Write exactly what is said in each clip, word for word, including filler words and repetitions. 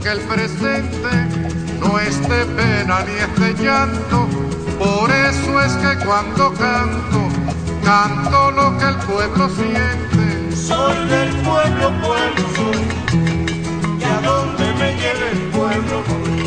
que el presente no es de pena ni es de llanto. Por eso es que cuando canto, canto lo que el pueblo siente. Soy del pueblo, pueblo soy, y a donde me lleve el pueblo voy.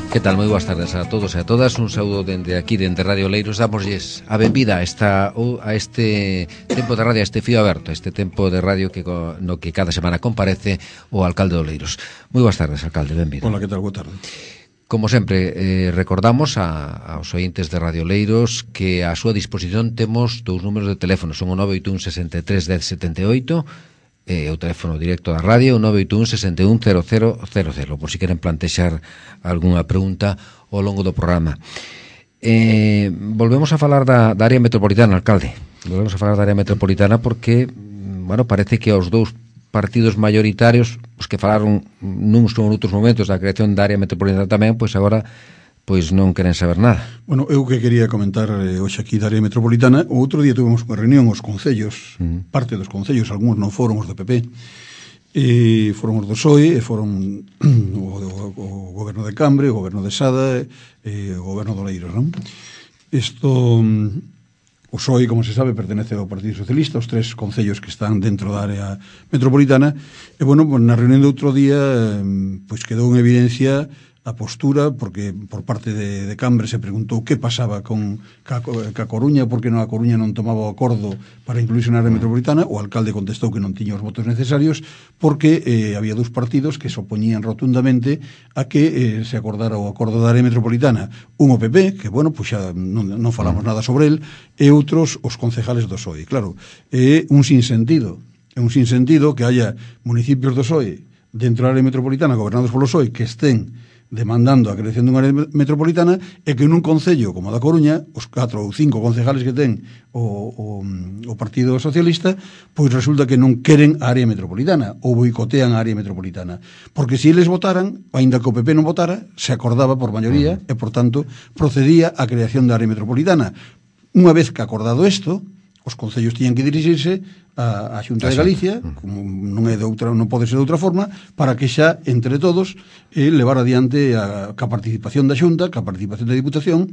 Que tal? Moi boas tardes a todos e a todas. Un saúdo dende aquí, dende Radio Oleiros. Damosles a benvida a, esta, a este tempo de radio, a este fío aberto, a este tempo de radio que no que cada semana comparece o alcalde de Oleiros. Moi boas tardes, alcalde, benvido. Hola, que tal? Boa tarde. Como sempre, eh, recordamos a, aos ointes de Radio Oleiros que a súa disposición temos dous números de teléfono. Son o nove oito un, sesenta e tres, dez, setenta e oito e o teléfono directo da radio, o nove oito un, sesenta e un, cero cero cero cero, por si queren plantexar algunha pregunta ao longo do programa. Eh, volvemos a falar da, da área metropolitana, alcalde. Volvemos a falar da área metropolitana porque, bueno, parece que aos dous partidos mayoritarios, os que falaron nuns ou noutros momentos da creación da área metropolitana tamén, pois agora pois non queren saber nada. Bueno, eu que quería comentar eh, hoxe aquí da área metropolitana, o outro día tuvemos unha reunión os concellos, uh -huh. parte dos concellos, algúns non foron os do P P, e foron os do P S O E, e foron o, o, o goberno de Cambre, o goberno de Sada e o goberno de Oleiros, non? Isto, o P S O E, como se sabe, pertenece ao Partido Socialista, os tres concellos que están dentro da área metropolitana, e, bueno, na reunión de outro día, pois quedou en evidencia a postura, porque por parte de, de Cambre se preguntou que pasaba con ca, ca Coruña, porque non a Coruña non tomaba o acordo para incluirse na área metropolitana. O alcalde contestou que non tiña os votos necesarios porque eh, había dous partidos que se opoñían rotundamente a que eh, se acordara o acordo da área metropolitana. Un o P P, que, bueno, pues xa non, non falamos nada sobre el, e outros os concejales do P S O E. Claro, é un sinsentido, é un sinsentido que haya municipios do P S O E dentro da área metropolitana gobernados polo P S O E que estén demandando a creación dunha área metropolitana e que nun concello como da Coruña, os catro ou cinco concejales que ten o, o, o Partido Socialista, pois resulta que non queren a área metropolitana ou boicotean a área metropolitana. Porque se eles votaran, aínda que o P P non votara, se acordaba por maioría e, por tanto, procedía a creación da área metropolitana. Unha vez que acordado isto, os concellos tiñan que dirixirse a, a Xunta de Galicia, como non é de outra, non pode ser de outra forma, para que xa, entre todos, eh, levar adiante a, a participación da Xunta, a participación da Diputación,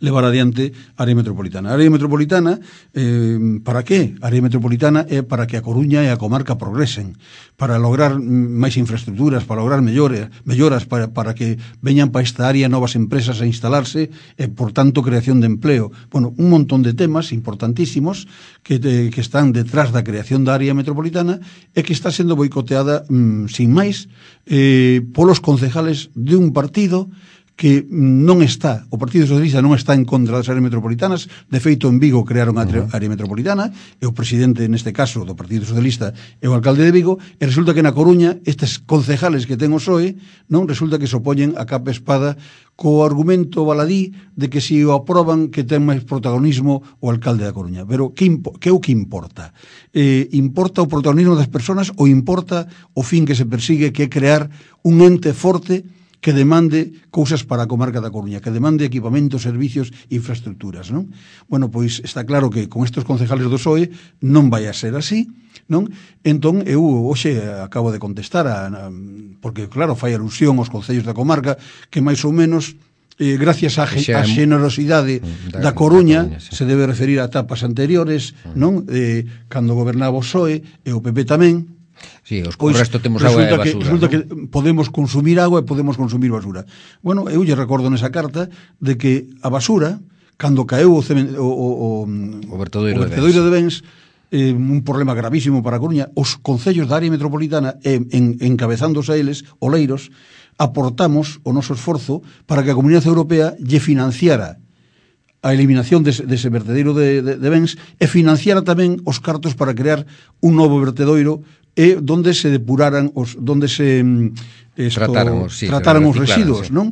levar adiante a área metropolitana. A área metropolitana, eh, para que? A área metropolitana é para que a Coruña e a comarca progresen, para lograr máis infraestructuras, para lograr mellores, melloras, para, para que veñan para esta área novas empresas a instalarse e, por tanto, creación de empleo. Bueno, un montón de temas importantísimos que, de, que están detrás da creación da área metropolitana e que está sendo boicoteada, mm, sin máis, eh, polos concejales de un partido que non está, o Partido Socialista non está en contra das áreas metropolitanas. De feito, en Vigo crearon a área metropolitana e o presidente, neste caso, do Partido Socialista é o alcalde de Vigo, e resulta que na Coruña estes concejales que ten o P S O E non resulta que se opoñen a capa espada co argumento baladí de que se o aproban que ten máis protagonismo o alcalde da Coruña. Pero que, impo que é o que importa? Eh, importa o protagonismo das persoas ou importa o fin que se persigue, que é crear un ente forte que demande cousas para a comarca da Coruña, que demande equipamentos, servicios e infraestructuras, non? Bueno, pois está claro que con estes concejales do P S O E non vai a ser así, non? Entón, eu hoxe acabo de contestar, a, a, porque, claro, fai alusión aos concellos da comarca, que máis ou menos, eh, gracias á xenerosidade da, da Coruña, da Coruña sí. se debe referir a etapas anteriores, non? Eh, cando gobernaba o P S O E, e o P P tamén. Sí, os, pois, o resto temos agua e basura. Que, resulta ¿no? que podemos consumir agua e podemos consumir basura. Bueno, eu lle recordo nesa carta de que a basura, cando caeu o, cement, o, o, o, o vertedoiro, o vertedoiro de Bens, eh, un problema gravísimo para a Coruña, os concellos da área metropolitana, eh, en, encabezándose a eles, Oleiros, aportamos o noso esforzo para que a Comunidade Europea lle financiara a eliminación dese, dese vertedoiro de, de, de Bens e financiara tamén os cartos para crear un novo vertedoiro e donde se depuraran os, donde se esto, trataran os, sí, trataran os residuos, sí. non?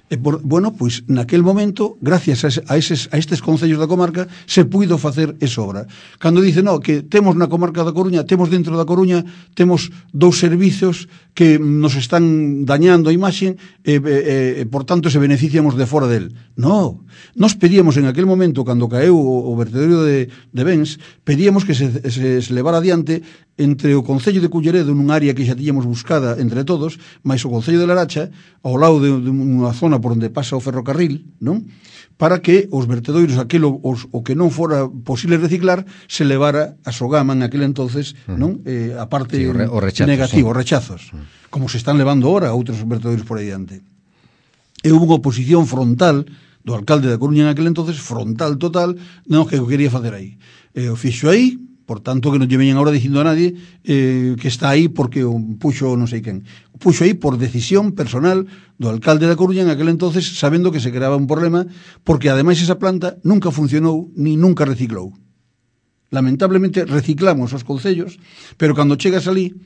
E por, bueno, pois naquel momento, gracias a, ese, a, eses, a estes concellos da comarca, se puido facer esa obra. Cando dice, no, que temos na comarca da Coruña, temos dentro da Coruña, temos dous servizos que nos están dañando a imaxe e, e, e por tanto, se beneficiamos de fora del. No, nos pedíamos en aquel momento, cando caeu o, o vertedero de, de bens, pedíamos que se, se, se levara adiante entre o Concello de Culleredo, nun área que xa tiñamos buscada entre todos, máis o Concello de Laracha, ao lado de, de unha zona por onde pasa o ferrocarril, non? Para que os vertedoiros, aquilo os, o que non fora posible reciclar, se levara a Sogama en aquel entonces, non? Eh, a parte sí, o re, o rechazo, negativa, sí. os rechazos, mm. como se están levando ahora a outros vertedoiros por aí diante. E hubo unha oposición frontal do alcalde da Coruña en aquel entonces, frontal total, non, que o quería facer aí. E o fixo aí, por tanto, que non lle veñan ahora dicindo a nadie eh, que está aí porque o puxo non sei quen. O puxo aí por decisión personal do alcalde da Coruña en aquel entonces, sabendo que se creaba un problema, porque ademais esa planta nunca funcionou ni nunca reciclou. Lamentablemente reciclamos os concellos, pero cando chegas ali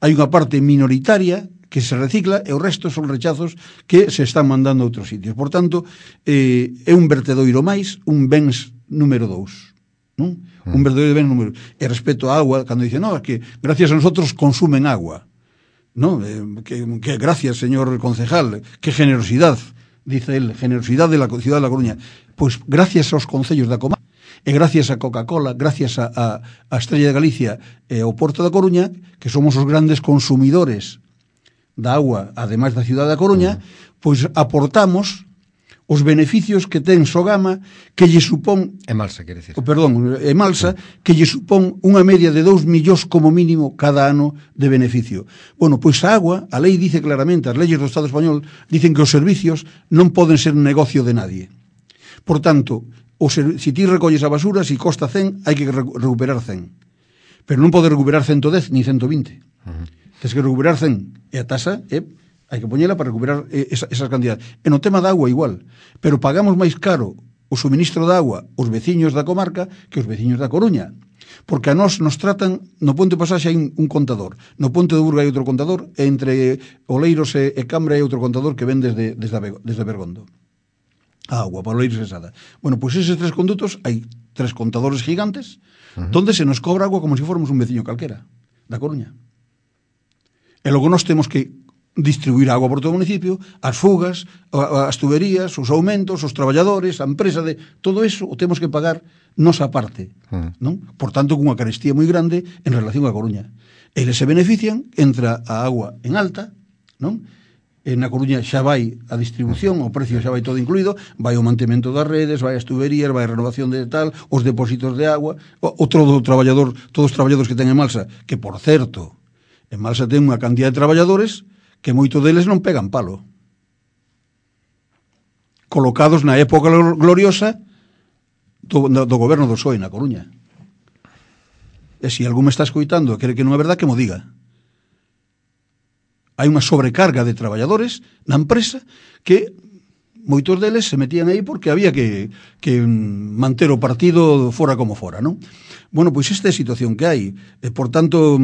hai unha parte minoritaria que se recicla e o resto son rechazos que se están mandando a outros sitios. Por tanto, eh, é un vertedoiro máis, un bens número dous. Non? Mm. Un verdadeiro ben número. E respecto á agua, cando dice, no, es que gracias a nosotros consumen agua, no, eh, que, que gracias, señor concejal, que generosidad, dice él, generosidad de la ciudad de La Coruña. Pois gracias aos concellos da comarca, e gracias a Coca-Cola, gracias a, a, a Estrella de Galicia e ao Porto da Coruña, que somos os grandes consumidores da agua, ademais da ciudad da Coruña, mm. pois aportamos os beneficios que ten Sogama, que lle supón... Emalsa, quere decir. Oh, perdón, Emalsa, sí. Que lle supón unha media de dous millóns como mínimo cada ano de beneficio. Bueno, pois a agua, a lei dice claramente, as leyes do Estado español dicen que os servicios non poden ser negocio de nadie. Por tanto, o ser, si ti recolles a basura, si costa cen, hai que recuperar cen. Pero non pode recuperar ciento dez ni ciento vinte. Uh -huh. Tens que recuperar cen. E a tasa é... hai que poñela para recuperar esa, esas cantidades. E no tema da agua igual, pero pagamos máis caro o suministro da agua os veciños da comarca que os veciños da Coruña, porque a nós nos tratan, no Ponte Pasaxe hai un contador, no Ponte do Burgo hai outro contador, e entre Oleiros e, e Cambra hai outro contador que ven desde, desde, desde Bergondo. A agua, para Oleiros e Sada. Bueno, pois pues eses tres condutos, hai tres contadores gigantes, uh -huh. donde se nos cobra agua como se si fóramos un veciño calquera, da Coruña. E logo nós temos que distribuir agua por todo o municipio, as fugas, as tuberías, os aumentos, os traballadores, a empresa de... Todo eso o temos que pagar nosa parte, mm. non? Por tanto, cunha carestía moi grande en relación á Coruña. Eles se benefician, entra a agua en alta, non? E na Coruña xa vai a distribución, o precio xa vai todo incluído, vai o mantemento das redes, vai as tuberías, vai a renovación de tal, os depósitos de agua, o, o todo o traballador, todos os traballadores que ten en Malsa, que, por certo, en Malsa ten unha cantidad de traballadores que moito deles non pegan palo. Colocados na época gloriosa do, do goberno do P S O E na Coruña. E se algún me está escoitando e quere que non é verdad, que mo diga. Hai unha sobrecarga de traballadores na empresa que moitos deles se metían aí porque había que, que manter o partido fora como fora, non? Bueno, pois esta é a situación que hai. E, por tanto,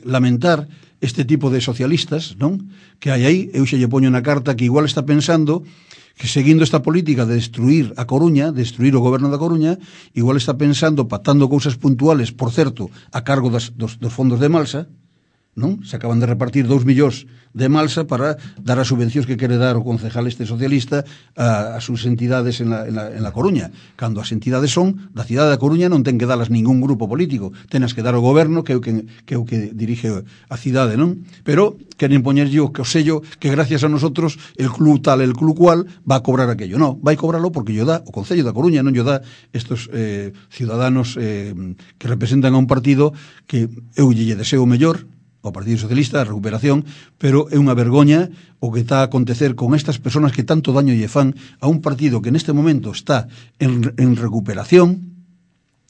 lamentar este tipo de socialistas, non? Que hai aí, eu xa lle poño na carta que igual está pensando que seguindo esta política de destruir a Coruña, destruir o goberno da Coruña, igual está pensando, pactando cousas puntuales, por certo, a cargo das, dos, dos fondos de Malsa, non? Se acaban de repartir dous millóns de Malsa para dar as subvencións que quere dar o concejal este socialista a, a sus entidades en la, en, la, en la Coruña, cando as entidades son da cidade da Coruña, non ten que dalas ningún grupo político, tenas que dar o goberno que é o que, que, é o que dirige a cidade, non? Pero queren poñerlle o, o sello que gracias a nosotros el club tal, el club cual va a cobrar aquello. Non, vai cobrarlo porque yo da o Concello da Coruña, non yo da estos eh, ciudadanos eh, que representan a un partido que eu lle deseo o mellor ao Partido Socialista, a recuperación, pero é unha vergoña o que está a acontecer con estas persoas que tanto daño lle fan a un partido que neste momento está en, en recuperación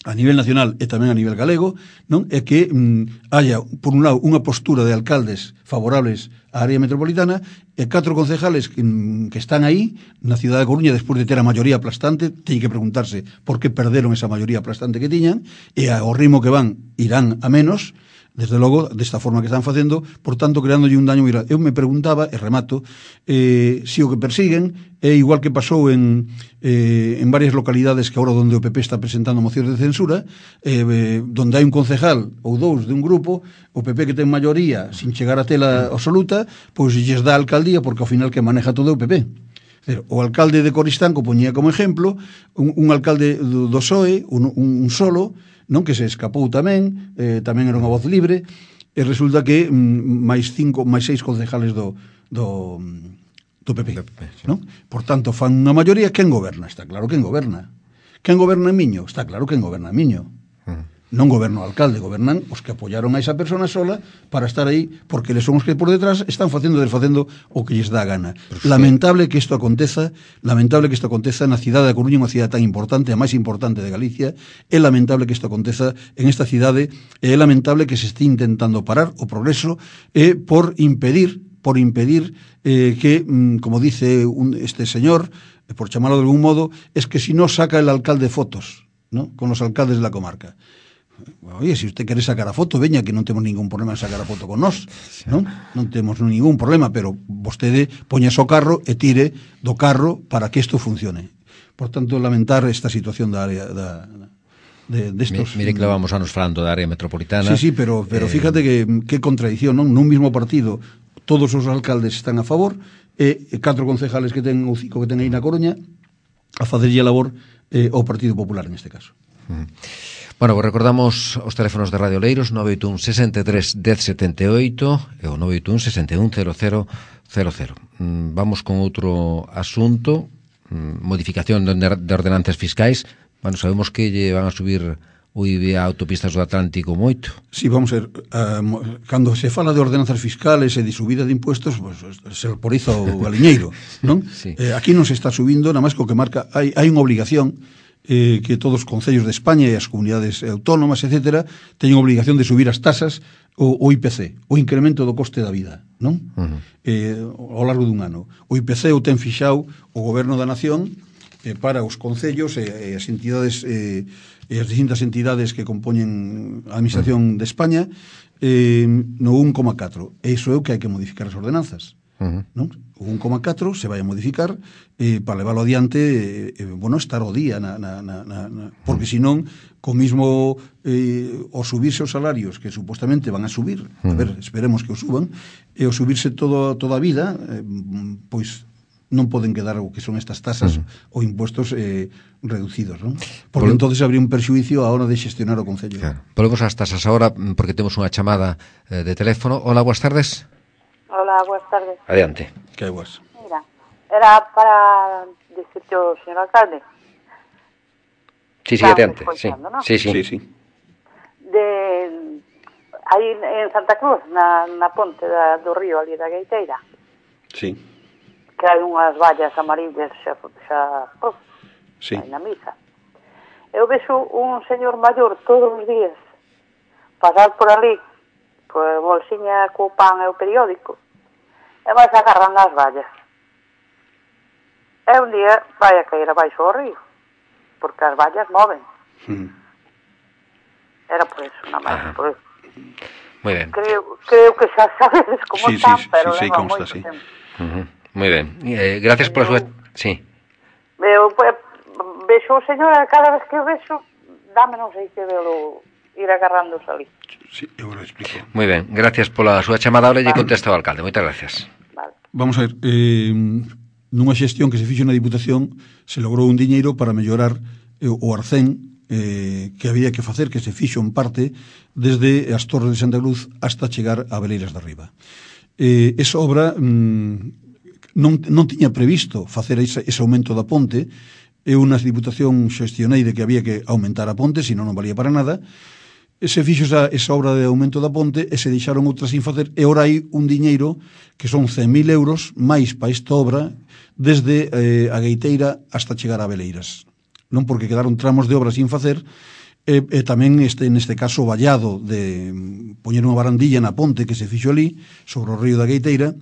a nivel nacional e tamén a nivel galego, non? É que mm, haya, por un lado, unha postura de alcaldes favorables á área metropolitana e catro concejales que, mm, que están aí na cidade de Coruña despois de ter a maioría aplastante, teñen que preguntarse por que perderon esa maioría aplastante que tiñan, e ao ritmo que van irán a menos. desde logo, desta forma que están facendo, por tanto, creándolle un daño moi grande. Eu me preguntaba, e remato, eh, se o que persiguen é igual que pasou en, eh, en varias localidades que agora donde o P P está presentando mocións de censura, eh, eh, donde hai un concejal ou dous de un grupo, o P P que ten maioría, sin chegar a tela absoluta, pois lles dá a alcaldía, porque ao final que maneja todo é o P P. O alcalde de Coristanco poñía como exemplo un, un alcalde do, do P S O E, un, un solo, non, que se escapou tamén, eh, tamén era unha voz libre, e resulta que mm, máis cinco, máis seis concejales do do, do P P, P P sí. Non? Por tanto, fan unha maioría. Quen goberna? Está claro quen goberna. Quen goberna en Miño? Está claro quen goberna en Miño. Uh-huh. Non goberna o alcalde, gobernan os que apoyaron a esa persona sola para estar aí, porque eles son os que por detrás están facendo e desfacendo o que lles dá a gana. Sí. Lamentable que isto aconteza, lamentable que isto aconteza na cidade da Coruña, unha cidade tan importante, a máis importante de Galicia. É lamentable que isto aconteza en esta cidade, é lamentable que se este intentando parar o progreso e por impedir, por impedir eh, que, como dice un, este señor, por chamarlo de algún modo, es que si no saca el alcalde fotos, ¿no?, con los alcaldes de la comarca. Oye, se usted quere sacar a foto, veña, que non temos ningún problema en sacar a foto con nós, non? Non temos ningún problema, pero vostede poña o carro e tire do carro para que isto funcione. Por tanto, lamentar esta situación da área da, de, de estos... Mire que vamos anos falando da área metropolitana. Sí, sí, pero, pero eh... fíjate que, que contradición, non? Nun mismo partido todos os alcaldes están a favor e catro concejales que ten, ou cinco que ten aí na Coruña, a facerlle a labor eh, ao Partido Popular neste caso. Uh-huh. Bueno, pues recordamos os teléfonos de Radio Leiros nove oito un, sesenta e tres, dez setenta e oito e o nove oito un, sesenta e un, cero cero cero cero. Mm, vamos con outro asunto, mm, modificación de, de ordenanzas fiscais. Bueno, sabemos que lle van a subir o I V A a autopistas do Atlántico moito. Sí, vamos a ver, uh, cando se fala de ordenanzas fiscales e de subida de impuestos, pues, se poriza o galiñeiro, non? Sí. Eh, aquí non se está subindo, nada máis que o que marca, hai, hai unha obligación eh, que todos os concellos de España e as comunidades autónomas, etcétera, teñen obligación de subir as tasas o, o I P C, o incremento do coste da vida, non? Uh-huh. Eh, ao largo dun ano. O I P C o ten fixado o Goberno da Nación eh, para os concellos e, e as entidades eh, e as distintas entidades que compoñen a Administración uh-huh. de España eh, no un coma catro. E iso é o que hai que modificar as ordenanzas. Uh-huh. Non? O un coma catro se vai a modificar eh, para leválo adiante, eh, bueno, estar o día na, na, na, na, porque senón co mismo eh, o subirse os salarios que supostamente van a subir, uh-huh. a ver, esperemos que o suban, e o subirse todo, toda a vida, eh, pois non poden quedar o que son estas tasas uh-huh. ou impuestos eh, reducidos, non? Porque Vol... entonces habría un perxuicio a hora de xestionar o Concello. Claro. Volvemos ás tasas agora, porque temos unha chamada eh, de teléfono. Hola, boas tardes. Hola, buenas tardes. Adiante. Que hai boas? Mira, era para decirte ao señor alcalde. Sí, sí, adiante. Sí. ¿No? sí, sí, sí, sí. De aí en Santa Cruz, na, na ponte da, do río ali da Gaiteira. Sí. Que hai unhas vallas amarillas xa, xa oh, sí. na misa. Eu vexo un señor maior todos os días pasar por ali coa bolsiña co pan e o periódico e vai agarrando as vallas. E un día vai a caer abaixo ao río porque as vallas moven. Mm. Era por eso, nada máis por eso. Muy ben. Creo, creo que xa sabedes como sí, están, sí, pero sí, leva sí, moito sí. tempo. Uh-huh. Muy ben. Eh, gracias por a súa... Sí. Eu pues, vexo o señor, cada vez que o vexo, dame non sei que velo ir agarrándose ali. Sí, eu lo explico. Muy ben, gracias pola súa chamada. Ahora lle contesta o alcalde. Moitas gracias. Vale. Vamos a ver, eh, nunha xestión que se fixo na Diputación se logrou un diñeiro para mellorar eh, o arcén eh, que había que facer, que se fixo en parte desde as Torres de Santa Cruz hasta chegar a Beleiras de Arriba. Eh, esa obra mm, non, non tiña previsto facer ese, ese aumento da ponte. Eu nas Diputación xestionei de que había que aumentar a ponte, senón non valía para nada. E se fixo esa, esa obra de aumento da ponte e se deixaron outras sin facer, e ora hai un diñeiro que son cen mil euros máis para esta obra desde eh, a Gaiteira hasta chegar a Beleiras, non? Porque quedaron tramos de obra sin facer e, e tamén este, neste caso o vallado de poñer unha barandilla na ponte que se fixo ali sobre o río da Gaiteira.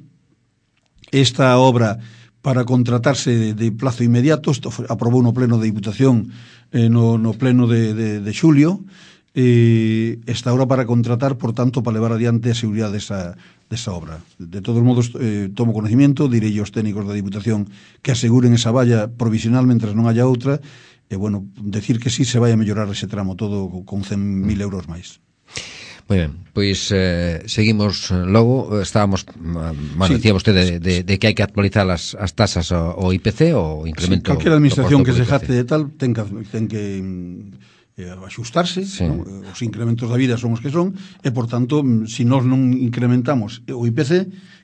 Esta obra para contratarse de, de plazo inmediato, isto foi, aprobou no pleno de Diputación eh, no, no pleno de, de, de xulio. eh, está ahora para contratar, por tanto, para levar adiante a seguridade desa, desa obra. De todos modos, eh, tomo conocimiento, direi aos técnicos da Diputación que aseguren esa valla provisional mentras non haya outra, e, bueno, decir que sí se vai a mellorar ese tramo todo con cen mil euros máis. Moi ben, pois eh, seguimos logo, estábamos, bueno, sí, decía vostede de, de, de que hai que actualizar as, as tasas ao I P C ou incremento... Sí, calquera administración que se jacte de tal ten que, ten que eh, axustarse, sí. ¿No? Os incrementos da vida son os que son, e, por tanto, se nós non incrementamos o I P C,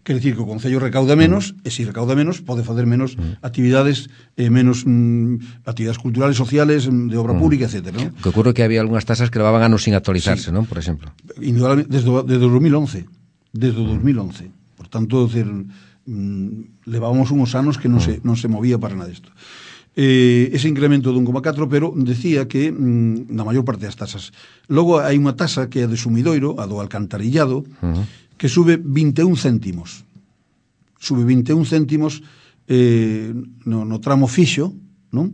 quer dicir que o Concello recauda menos, mm. e se recauda menos, pode fazer menos mm. actividades, eh, menos mm, actividades culturales, sociales, de obra mm. pública, etcétera, ¿no? Que ocurre que había algunhas tasas que levaban anos sin actualizarse, sí. ¿no? Por exemplo. Indudablemente, desde, desde dos mil once. Desde mm. dos mil once. Por tanto, decir, mm, levábamos uns anos que non, mm. se, non se movía para nada isto. Eh, ese incremento de un coma catro, pero decía que mm, na maior parte das tasas. Logo hai unha tasa que é de sumidoiro, a do alcantarillado, uh-huh. que sube vinte e un céntimos. Sube vinte e un céntimos eh, no, no tramo fixo, non?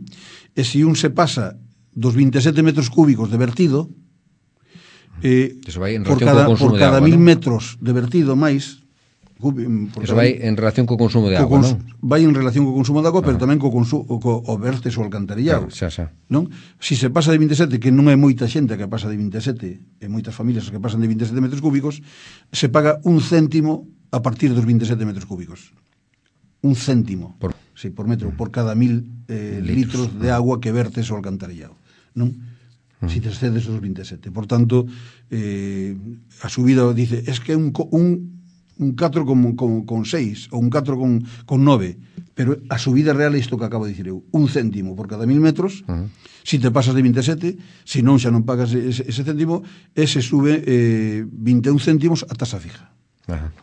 E se un se pasa dos vinte e sete metros cúbicos de vertido, eh, por cada, por cada mil metros de vertido máis, eso vai en relación co consumo de agua, non? Vai en relación co consumo de agua, pero tamén co consumo, co, o vertes o alcantarillado, xa, xa. Non? Si se pasa de vinte e sete, que non é moita xente que pasa de vinte e sete, e moitas familias que pasan de vinte e sete metros cúbicos, se paga un céntimo a partir dos vinte e sete metros cúbicos. Un céntimo, por, sí, por metro, por cada mil eh, litros. litros de agua que vertes o alcantarillado, non? Si te excedes os vinte e sete. Por tanto, eh, a subida dice, es que un, un un catro con, con, con seis ou un catro con, con nove, pero a subida real é isto que acabo de dicir eu, un céntimo por cada mil metros. Uh-huh. Si te pasas de vinte e sete, se non xa non pagas ese, ese céntimo, e se sube eh, vinte e un céntimos a tasa fija. Uh-huh.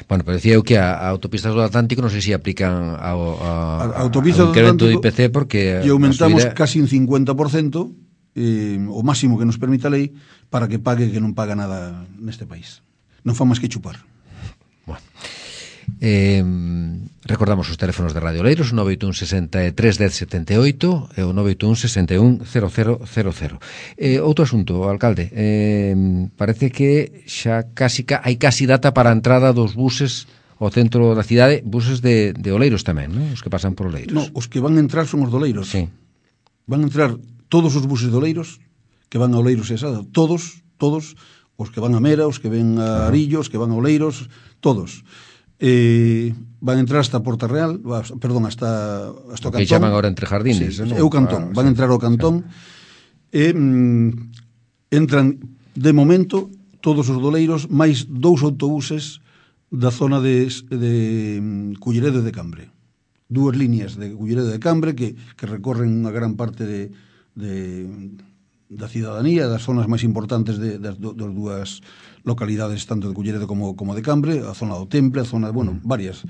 Bueno, pero decía eu que a, a autopistas do Atlántico non sei se aplican ao, a, a, a autopistas do incremento do I P C, porque e aumentamos subida... casi un cincuenta por cento, eh, o máximo que nos permite a lei, para que pague que non paga nada neste país. Non fa máis que chupar. Bueno. Eh, recordamos os teléfonos de Radio Oleiros, nove oito un sesenta e tres dez setenta e oito e o nove oito un sesenta e un cero cero cero cero. Eh, outro asunto, alcalde, eh, parece que xa casi hai casi data para a entrada dos buses ao centro da cidade, buses de, de Oleiros tamén, non? Os que pasan por Oleiros. No, os que van a entrar son os de Oleiros. Sí. Van a entrar todos os buses de Oleiros que van a Oleiros e Sada, todos, todos, os que van a Mera, os que ven a Arillo, os que van a Oleiros, todos. Eh, van a entrar hasta Porta Real, perdón, hasta, hasta o Cantón. Que chaman agora entre jardines, sí, non? É o Cantón, van a entrar ao Cantón. Sí. E mm, entran, de momento, todos os doleiros, máis dous autobuses da zona de, de mm, Culleredo de Cambre. Dúas líneas de Culleredo de Cambre que, que recorren unha gran parte de, de, da cidadanía, das zonas máis importantes de, das, das dúas localidades, tanto de Culleredo como, como de Cambre, a zona do Temple, a zona, bueno, varias.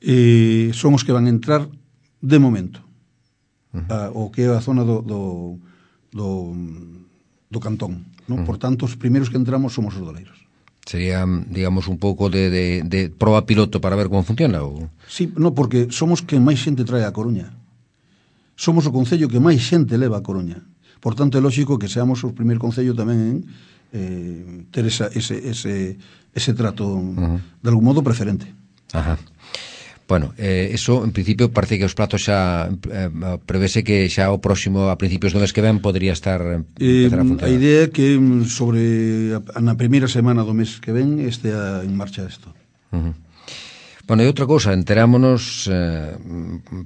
Eh, son os que van a entrar de momento. Uh-huh. A, o que é a zona do, do, do, do Cantón. ¿No? Uh-huh. Por tanto, os primeiros que entramos somos os doleiros. Sería, digamos, un pouco de, de, de proba piloto para ver como funciona? Ou... Sí, no, porque somos quen máis xente trae a Coruña. Somos o concello que máis xente leva a Coruña. Por tanto, é lógico que seamos o primeiro concello tamén en eh, ter esa, ese, ese, ese trato, uh-huh, de algún modo preferente. Ajá. Bueno, eh, eso, en principio, parece que os platos xa eh, prevese que xa o próximo, a principios do mes que ven, podría estar eh, a funcionar. A idea é que sobre a, na primeira semana do mes que ven estea en marcha isto. Uh-huh. Bueno, e outra cousa, enterámonos eh,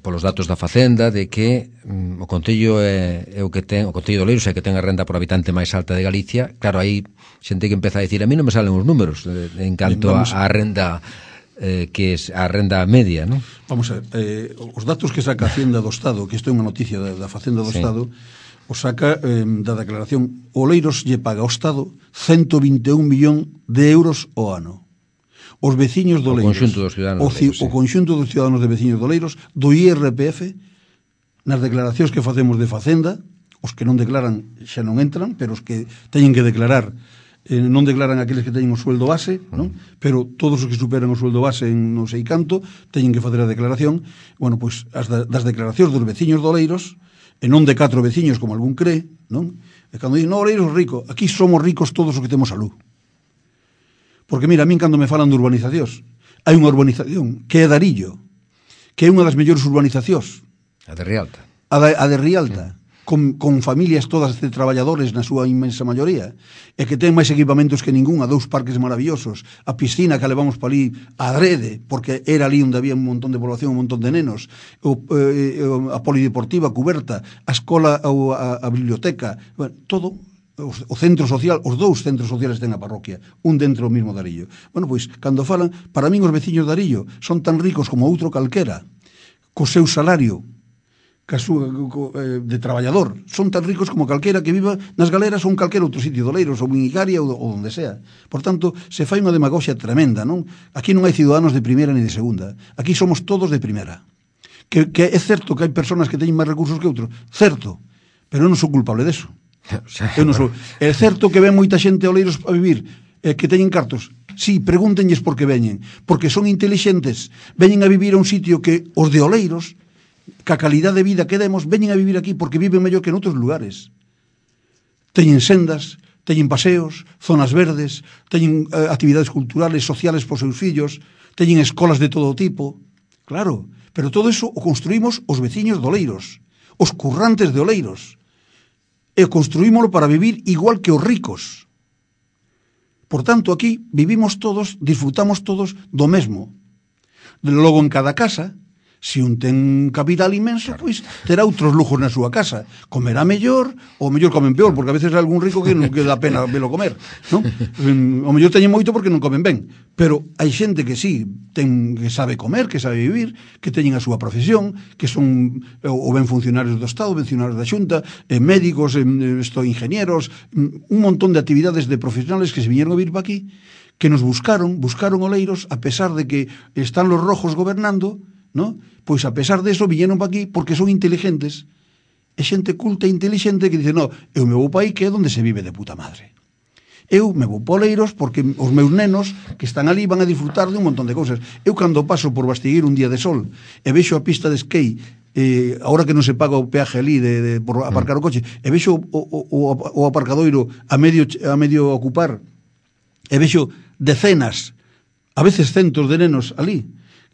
polos datos da Facenda de que mm, o Concello é, é o que ten, o Concello de Oleiros é que ten a renda por habitante máis alta de Galicia. Claro, aí xente que empeza a dicir, a mí non me salen os números eh, en canto a, a renda eh, que é a renda media, non? Vamos a ver, eh, os datos que saca a Hacienda do Estado, que isto é unha noticia da, da Facenda do sí. Estado, o saca eh, da declaración, Oleiros lle paga ao Estado ciento vinte e un millón de euros ao ano. Os veciños do Oleiros, o conxunto dos ciudadanos, o, Oleiros, sí. o conxunto dos ciudadanos de veciños do Oleiros, do I R P F, nas declaracións que facemos de Facenda, os que non declaran xa non entran, pero os que teñen que declarar, eh, non declaran aqueles que teñen o sueldo base, mm. non? Pero todos os que superan o sueldo base en non sei canto, teñen que facer a declaración. Bueno, pois, as da, das declaracións dos veciños do Oleiros, e non de catro veciños como algún cree, non? E cando dicen, no, Oleiros rico, aquí somos ricos todos os que temos salud. Porque mira, a min cando me falan de urbanizacións, hai unha urbanización que é Darillo, que é unha das mellores urbanizacións. A de Rialta. A de, a de Rialta, mm. con, con familias todas de traballadores na súa inmensa maioría, e que ten máis equipamentos que ningún, a dous parques maravillosos, a piscina que levamos para ali adrede, porque era ali onde había un montón de población, un montón de nenos, o, eh, a polideportiva cuberta, a escola, a, a biblioteca, bueno, todo, o centro social, os dous centros sociales ten a parroquia, un dentro do mismo Darillo. Bueno, pois, cando falan, para min os veciños de Darillo son tan ricos como outro calquera, co seu salario, de traballador, son tan ricos como calquera que viva nas galeras ou en calquera outro sitio, Doleiros ou en Icaria ou, ou onde sea. Por tanto, se fai unha demagoxia tremenda, non? Aquí non hai ciudadanos de primeira ni de segunda, aquí somos todos de primeira. Que, que é certo que hai personas que teñen máis recursos que outros, certo, pero eu non sou culpable deso. Eu non sou. É certo que ven moita xente a Oleiros a vivir, eh, que teñen cartos. Sí, pregúntenlles por que veñen, porque son intelixentes, veñen a vivir a un sitio que os de Oleiros, que a calidade de vida que demos, veñen a vivir aquí porque viven mellor que en outros lugares. Teñen sendas, teñen paseos, zonas verdes, teñen eh, actividades culturales, sociales por seus fillos, teñen escolas de todo tipo. Claro, pero todo eso o construímos os veciños de Oleiros, os currantes de Oleiros, e construímoslo para vivir igual que os ricos. Por tanto, aquí vivimos todos, disfrutamos todos do mesmo. Logo, en cada casa, se un ten capital inmenso, claro, pois terá outros lujos na súa casa. Comerá mellor, ou mellor comen peor, porque a veces hai algún rico que non que dá pena velo comer, non? O mellor teñen moito porque non comen ben, pero hai xente que sí, ten, que sabe comer, que sabe vivir, que teñen a súa profesión, que son ou ben funcionarios do Estado, funcionarios da Xunta, eh, médicos, eh, esto, ingenieros, un montón de actividades de profesionales que se viñeron a vivir para aquí, que nos buscaron, buscaron Oleiros, a pesar de que están los rojos gobernando, ¿no? Pois a pesar de eso viñeron para aquí porque son inteligentes, é xente culta e inteligente que dice, no, eu me vou para aí que é onde se vive de puta madre. Eu me vou para Oleiros porque os meus nenos que están ali van a disfrutar de un montón de cousas. Eu cando paso por Bastigueiro un día de sol e vexo a pista de skate, eh, ahora que non se paga o peaje ali de, de, por aparcar o coche, e vexo o, o, o aparcadoiro a medio, a medio ocupar, e vexo decenas, a veces centos de nenos ali,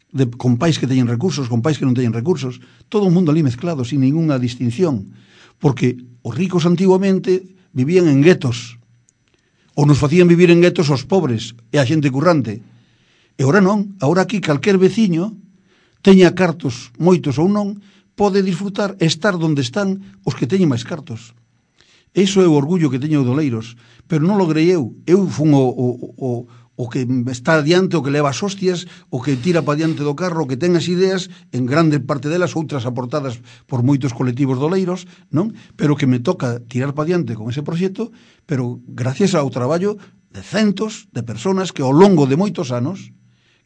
De, con pais que teñen recursos, con pais que non teñen recursos, todo o mundo ali mezclado, sin ninguna distinción, porque os ricos antiguamente vivían en guetos, ou nos facían vivir en guetos os pobres e a xente currante, e ora non, agora aquí calquer veciño teña cartos, moitos ou non, pode disfrutar e estar donde están os que teñen máis cartos. Iso é o orgullo que teño de Oleiros, pero non logrei eu, eu fun o, o, o o que está adiante, o que leva as hostias, o que tira para adiante do carro, o que ten as ideas, en grande parte delas, outras aportadas por moitos colectivos de Oleiros, non? Pero que me toca tirar para adiante con ese proxecto, pero gracias ao traballo de centos de personas que ao longo de moitos anos,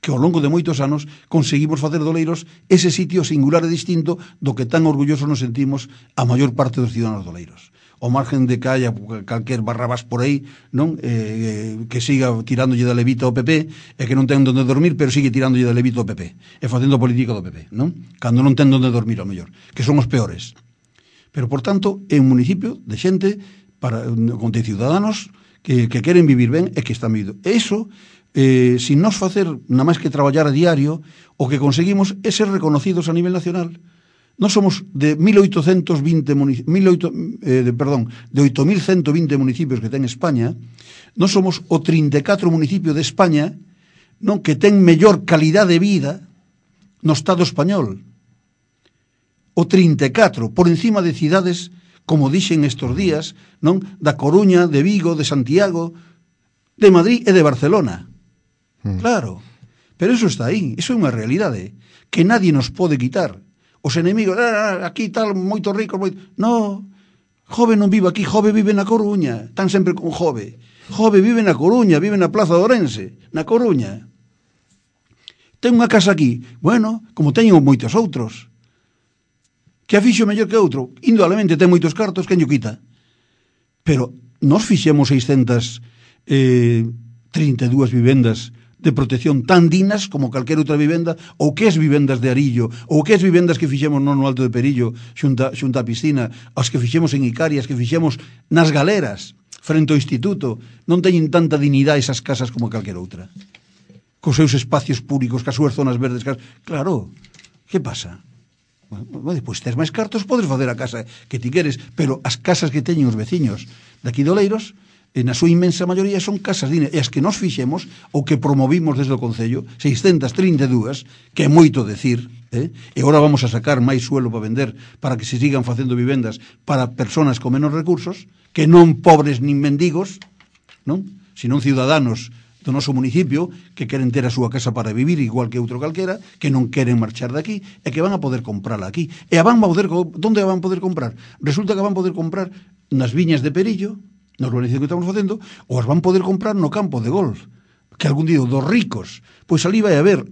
que ao longo de moitos anos conseguimos facer de Oleiros ese sitio singular e distinto do que tan orgullosos nos sentimos a maior parte dos ciudadanos de Oleiros. O margen de que haya calquer barrabás por aí, non? Eh, que siga tirándolle da levita ao P P e que non ten onde dormir, pero sigue tirándolle da levita ao P P e facendo política do P P, non? Cando non ten onde dormir, ao mellor, que son os peores. Pero, por tanto, é un municipio de xente para, con de ciudadanos que, que queren vivir ben e que están vivindo. E iso, eh, sin nos facer nada máis que traballar a diario, o que conseguimos é ser reconocidos a nivel nacional. Nós somos de mil oitocentos vinte municipios, eh, de, perdón, de oito mil ciento vinte municipios que ten España. Nós somos o trinta e catro municipio de España, non, que ten mellor calidade de vida no Estado español. O trinta e catro, por encima de cidades, como dixen estes días, non, da Coruña, de Vigo, de Santiago, de Madrid e de Barcelona. Mm. Claro, pero eso está aí, eso é unha realidade que nadie nos pode quitar. Os enemigos, ah, aquí tal, moito rico, moito... No, Jove non vive aquí, Jove vive na Coruña, están sempre con Jove. Jove vive na Coruña, vive na Plaza de Ourense, na Coruña. Ten unha casa aquí, bueno, como teñen moitos outros. Que a fixo mellor que outro, indudablemente ten moitos cartos, quen lle quita. Pero nós fixemos seiscentas trinta e dúas vivendas de protección tan dignas como calquera outra vivenda, ou que as vivendas de Arillo, ou que as vivendas que fixemos no Alto de Perillo xunta, xunta a piscina, as que fixemos en Icarias, que fixemos nas galeras frente ao instituto, non teñen tanta dignidade esas casas como calquera outra, cos seus espacios públicos, cas súas zonas verdes. Cas... Claro, que pasa? Bueno, pois tes máis cartos, podes facer a casa que ti queres, pero as casas que teñen os veciños daqui de Oleiros, na súa inmensa maioría son casas dignas, e as que nos fixemos ou que promovimos desde o Concello, seiscentas trinta e dúas, que é moito decir, eh? E agora vamos a sacar máis suelo para vender, para que se sigan facendo vivendas para persoas con menos recursos, que non pobres nin mendigos, non? Sino ciudadanos do noso municipio que queren ter a súa casa para vivir igual que outro calquera, que non queren marchar daqui e que van a poder comprala aquí. E a van a poder, onde a van a poder comprar? Resulta que van a poder comprar nas viñas de Perillo, na urbanización que estamos facendo, ou as van poder comprar no campo de golf, que algún día dos ricos, pois ali vai haber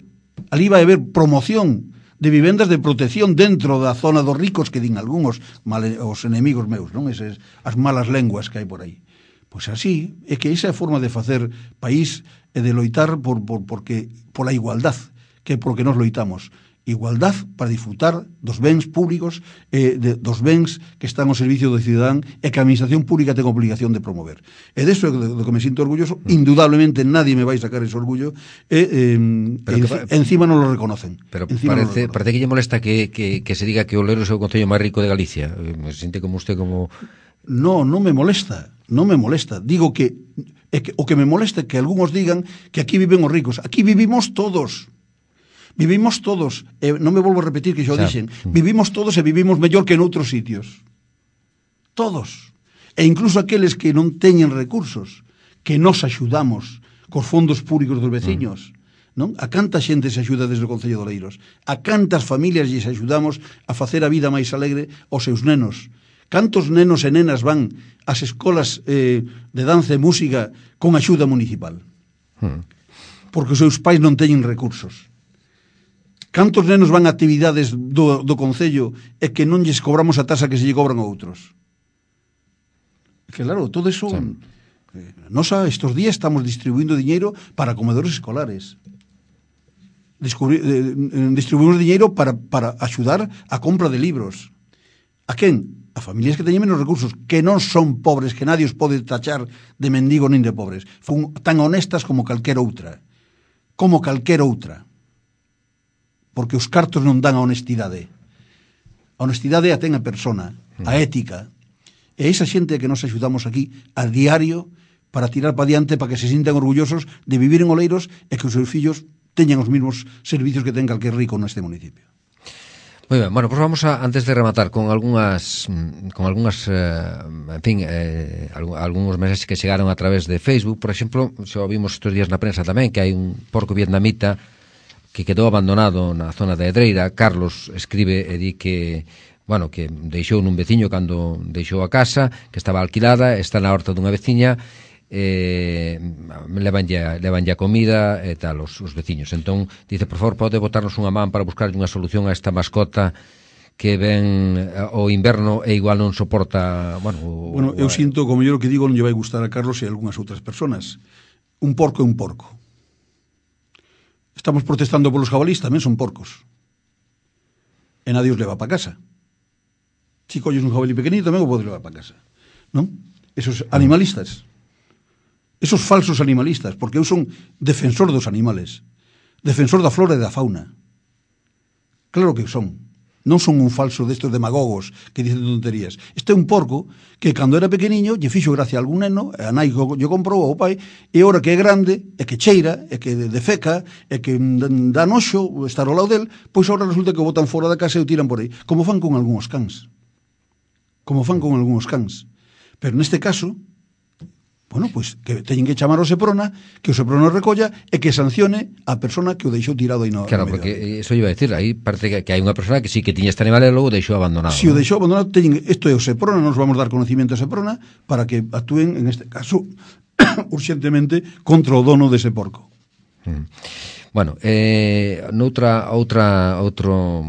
ali vai haber promoción de vivendas de protección dentro da zona dos ricos, que din algúns male, os enemigos meus, non? Eses, as malas lenguas que hai por aí. Pois así, é que esa é a forma de facer país e de loitar por, por, porque, pola igualdad, que é por que nos loitamos. Igualdad para disfrutar dos bens públicos, eh, de, dos bens que están ao servicio do cidadán e que a administración pública ten obligación de promover. E deso é do que me sinto orgulloso. Indudablemente nadie me vai sacar ese orgullo e, eh, e que, encima non lo reconocen. Pero parece, no parece que lle molesta que, que, que se diga que Oleiros é o concello máis rico de Galicia. Me sinte como usted como... No, non me molesta, non me molesta. Digo que, é que o que me molesta é que algúns digan que aquí viven os ricos. Aquí vivimos todos. Vivimos todos, e non me volvo a repetir que xa o dixen, vivimos todos e vivimos mellor que en outros sitios. Todos. E incluso aqueles que non teñen recursos, que nos axudamos cos fondos públicos dos veciños, non? A canta xente se axuda desde o Concello de Oleiros, a cantas familias lles axudamos a facer a vida máis alegre aos seus nenos. Cantos nenos e nenas van ás escolas eh, de danza e música con axuda municipal? Porque os seus pais non teñen recursos. Cantos nenos van a actividades do, do Concello e que non lles cobramos a tasa que se lle cobran a outros? Que claro, todo eso... Sí. Eh, nos a estos días estamos distribuindo diñeiro para comedores escolares. Descubri, eh, distribuimos diñeiro para, para axudar a compra de libros. A quen? A familias que teñen menos recursos, que non son pobres, que nadie os pode tachar de mendigo nin de pobres. Fun tan honestas como calquera outra. Como calquera outra. Porque os cartos non dan a honestidade. A honestidade a ten a persona, a ética. E esa xente que nos axudamos aquí a diario para tirar para diante, para que se sintan orgullosos de vivir en Oleiros e que os seus fillos teñan os mesmos servicios que ten calquer rico neste municipio. Moi ben, bueno, pois pues vamos a, antes de rematar con algunhas con algunhas, eh, en fin, eh, algúns mensaxes que chegaron a través de Facebook. Por exemplo, xa vimos estes días na prensa tamén que hai un porco vietnamita que quedou abandonado na zona de Edreira. Carlos escribe e di que, bueno, que deixou nun veciño cando deixou a casa, que estaba alquilada, está na horta dunha veciña, eh, levanlle, levanlle a comida e tal os, os veciños. Entón, dice, por favor, pode botarnos unha man para buscar unha solución a esta mascota que ven o inverno e igual non soporta, bueno... O, bueno, eu sinto, como yo lo que digo, non lle vai gustar a Carlos e a algunhas outras personas. Un porco é un porco. Estamos protestando polos jabalís, tamén son porcos. E nadie os leva para casa. Si colles un jabalí pequenito, tamén o podes levar para casa. Non? Esos animalistas. Esos falsos animalistas, porque eu son defensor dos animales. Defensor da flora e da fauna. Claro que son. Non son un falso destes demagogos que dicen tonterías. Este é un porco que cando era pequeniño lle fixo gracia a algún neno, a nai lle comprou ao pai, e ora que é grande, e que cheira, e que defeca, e que dá noxo estar ao lado del, pois agora resulta que o botan fora da casa e o tiran por aí, como fan con algúns cans. Como fan con algúns cans. Pero neste caso, bueno, pois que teñen que chamar ao Seprona, que o Seprona recolla e que sancione a persona que o deixou tirado aí no Claro, no porque eso iba a decir, aí parece que, que hai unha persona que sí que tiña este animal e logo o deixou abandonado. Si ¿no? o deixou abandonado, teñen, isto é o Seprona, nos vamos dar conocimiento a Seprona para que actúen, en este caso, urxentemente contra o dono dese porco. Mm. Bueno, eh, noutra outra outro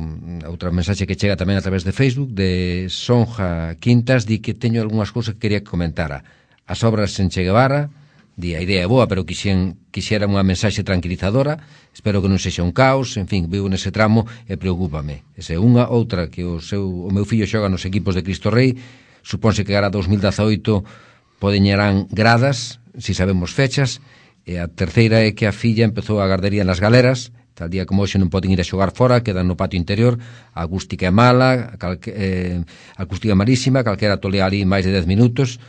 outra mensaxe que chega tamén a través de Facebook de Sonja Quintas, di que teño algunhas cousas que quería que comentara. As obras en Che Guevara, Di, a idea é boa, pero quixen, quixera unha mensaxe tranquilizadora, espero que non sexa un caos, en fin, vivo nese tramo e preocúpame. Esa é unha, outra, que o, seu, o meu fillo xoga nos equipos de Cristo Rei, supónse que agora dos mil dezaoito podeñerán gradas, si sabemos fechas, e a terceira é que a filla empezou a gardería nas galeras, tal día como hoxe non poden ir a xogar fora, quedan no patio interior, a acústica é mala, calque, eh, a acústica malísima, calquera tolea ali máis de dez minutos.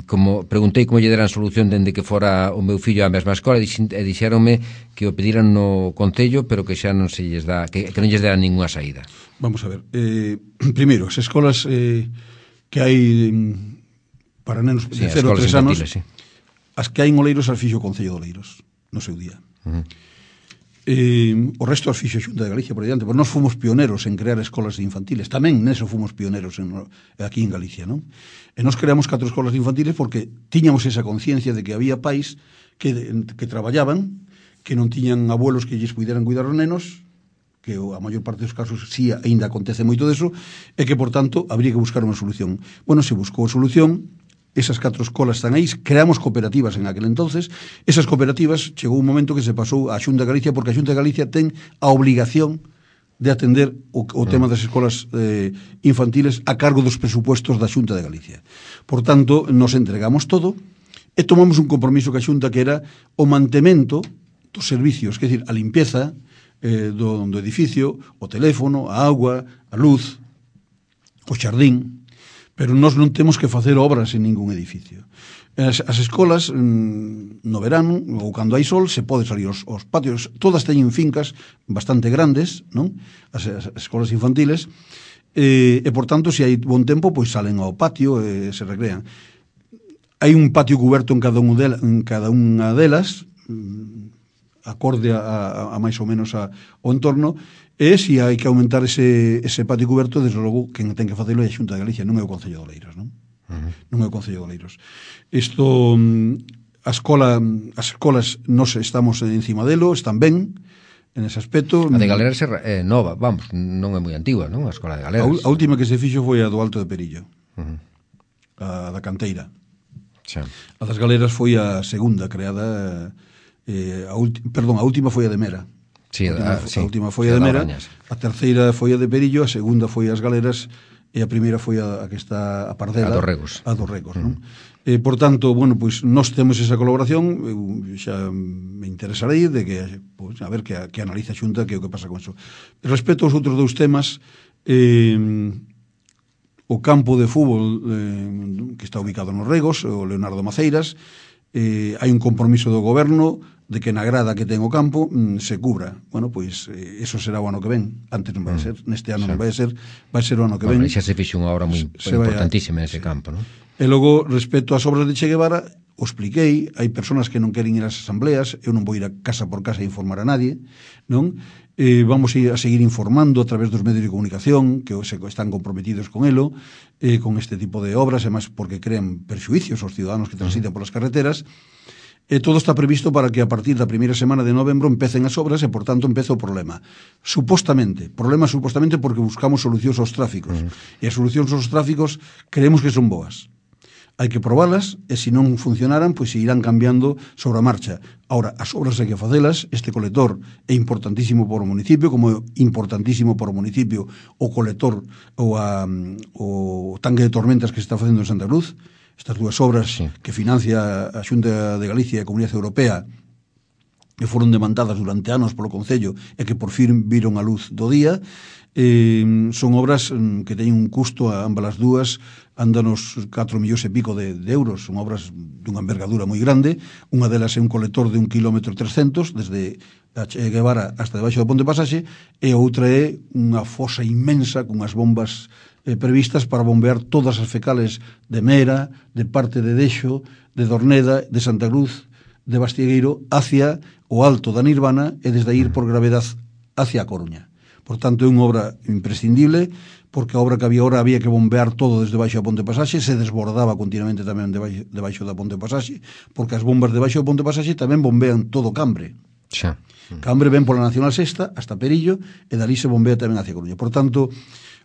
Como preguntei como lle deran solución dende que fora o meu fillo á mesma escola e dixéronme que o pediran no Concello, pero que xa non se lles dá, que, que non lles deran ninguna saída. Vamos a ver, eh, primeiro, as escolas eh, que hai para nenos de sí, cero a tres anos, sí. As que hai en Oleiros as fixo o Concello de Oleiros no seu día. Uh-huh. Eh, o resto as fixo a Xunta de Galicia por diante, porque nós fomos pioneros en crear escolas infantiles, tamén neso fomos pioneros en, aquí en Galicia, non? E nós creamos catro escolas infantiles porque tiñamos esa conciencia de que había pais que, que traballaban, que non tiñan abuelos que lles puderan cuidar os nenos, que a maior parte dos casos sí aínda acontece moito deso, e que, por tanto, habría que buscar unha solución. Bueno, se buscou a solución. Esas catro escolas están aí, creamos cooperativas en aquel entonces. Esas cooperativas chegou un momento que se pasou a Xunta de Galicia, porque a Xunta de Galicia ten a obligación de atender o, o tema das escolas eh, infantiles a cargo dos presupuestos da Xunta de Galicia. Por tanto, nos entregamos todo e tomamos un compromiso que a Xunta que era o mantemento dos servicios, que é dicir, a limpieza eh, do, do edificio, o teléfono, a agua, a luz, o xardín. Pero nós non temos que facer obras en ningún edificio. As, as escolas, no verano, ou cando hai sol, se pode salir os, os patios. Todas teñen fincas bastante grandes, non? As, as escolas infantiles. E, e, por tanto, se hai bon tempo, pois salen ao patio e se recrean. Hai un patio cuberto en cada, un de, en cada unha delas, acorde a, a, a máis ou menos a, ao entorno. E se hai que aumentar ese, ese patio cuberto, desde logo, quen ten que facelo é a Xunta de Galicia, non é o Concello de Oleiros, non? Uh-huh. Non é o Concello de Oleiros. Isto, a escola, as escolas, nós estamos encima delo, están ben, en ese aspecto. A de Galeras é nova, vamos, non é moi antigua, non? A escola de Galeras. A, a última que se fixo foi a do Alto de Perillo, uh-huh. A da Canteira. Xa. A das Galeras foi a segunda creada, eh, a ulti, perdón, a última foi a de Mera. Sí, a, última, a, sí, a última foi a de Mera, a terceira foi a de Perillo, a segunda foi as Galeras e a primeira foi a, a que está a Pardela, a dos Regos, a dos Regos, mm. non? Eh, por tanto, bueno, pois pues, nós temos esa colaboración, eu xa me interesarei de que, pues, a ver que, que analiza a Xunta que é o que pasa con eso. Respecto aos outros dous temas, eh, o campo de fútbol eh, que está ubicado nos Regos, o Leonardo Maceiras, eh, hai un compromiso do goberno de que na grada que ten o campo mm, se cubra. Bueno, pois eh, eso será o ano que ven. Antes non vai ser, neste ano sí. non vai ser, vai ser o ano que bueno, ven. Xa se fixe unha obra moi importantísima nese sí. campo, non? E logo, respecto ás obras de Che Guevara, o expliquei, hai personas que non queren ir ás asambleas, eu non vou ir a casa por casa a informar a nadie, non? Eh, vamos a, ir a seguir informando a través dos medios de comunicación que se están comprometidos con elo, eh, con este tipo de obras, e máis porque crean perxuicios aos ciudadanos que transitan polas carreteras. E todo está previsto para que a partir da primeira semana de novembro empecen as obras e, por tanto, empece o problema. Supostamente, problema supostamente porque buscamos solucións aos tráficos. Uh-huh. E as solucións aos tráficos creemos que son boas. Hai que probalas e, se non funcionaran, pois se irán cambiando sobre a marcha. Ahora, as obras hai que facelas. Este colector é importantísimo para o municipio, como é importantísimo para o municipio o colector ou a, o tanque de tormentas que se está facendo en Santa Cruz. Estas dúas obras sí. que financia a Xunta de Galicia e a Comunidade Europea que foron demandadas durante anos polo Concello e que por fin viron a luz do día, eh, son obras que teñen un custo a ambas as dúas, andan nos catro millóns e pico de, de euros, son obras dunha envergadura moi grande. Unha delas é un colector de un kilómetro trescentos desde a Che Guevara hasta debaixo do Ponte Pasaxe, e outra é unha fosa inmensa con as bombas Eh, previstas para bombear todas as fecales de Mera, de parte de Dexo, de Dorneda, de Santa Cruz, de Bastiegueiro, hacia o Alto da Nirvana e desde aí ir por gravedad hacia a Coruña. Por tanto, é unha obra imprescindible, porque a obra que había ahora había que bombear todo desde baixo da Ponte Pasaxe, se desbordaba continuamente tamén debaixo, debaixo da Ponte Pasaxe, porque as bombas debaixo da Ponte Pasaxe tamén bombean todo Cambre. Xa. Cambre ven pola Nacional Sexta hasta Perillo e dali se bombea tamén hacia Coruña. Por tanto,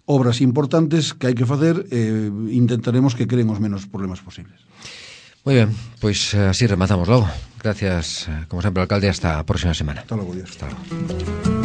obras importantes que hai que facer, eh, intentaremos que creen os menos problemas posibles. Muy bien, pues así rematamos logo. Gracias, como sempre, alcalde, hasta a próxima semana. Hasta logo, Dios. Hasta logo.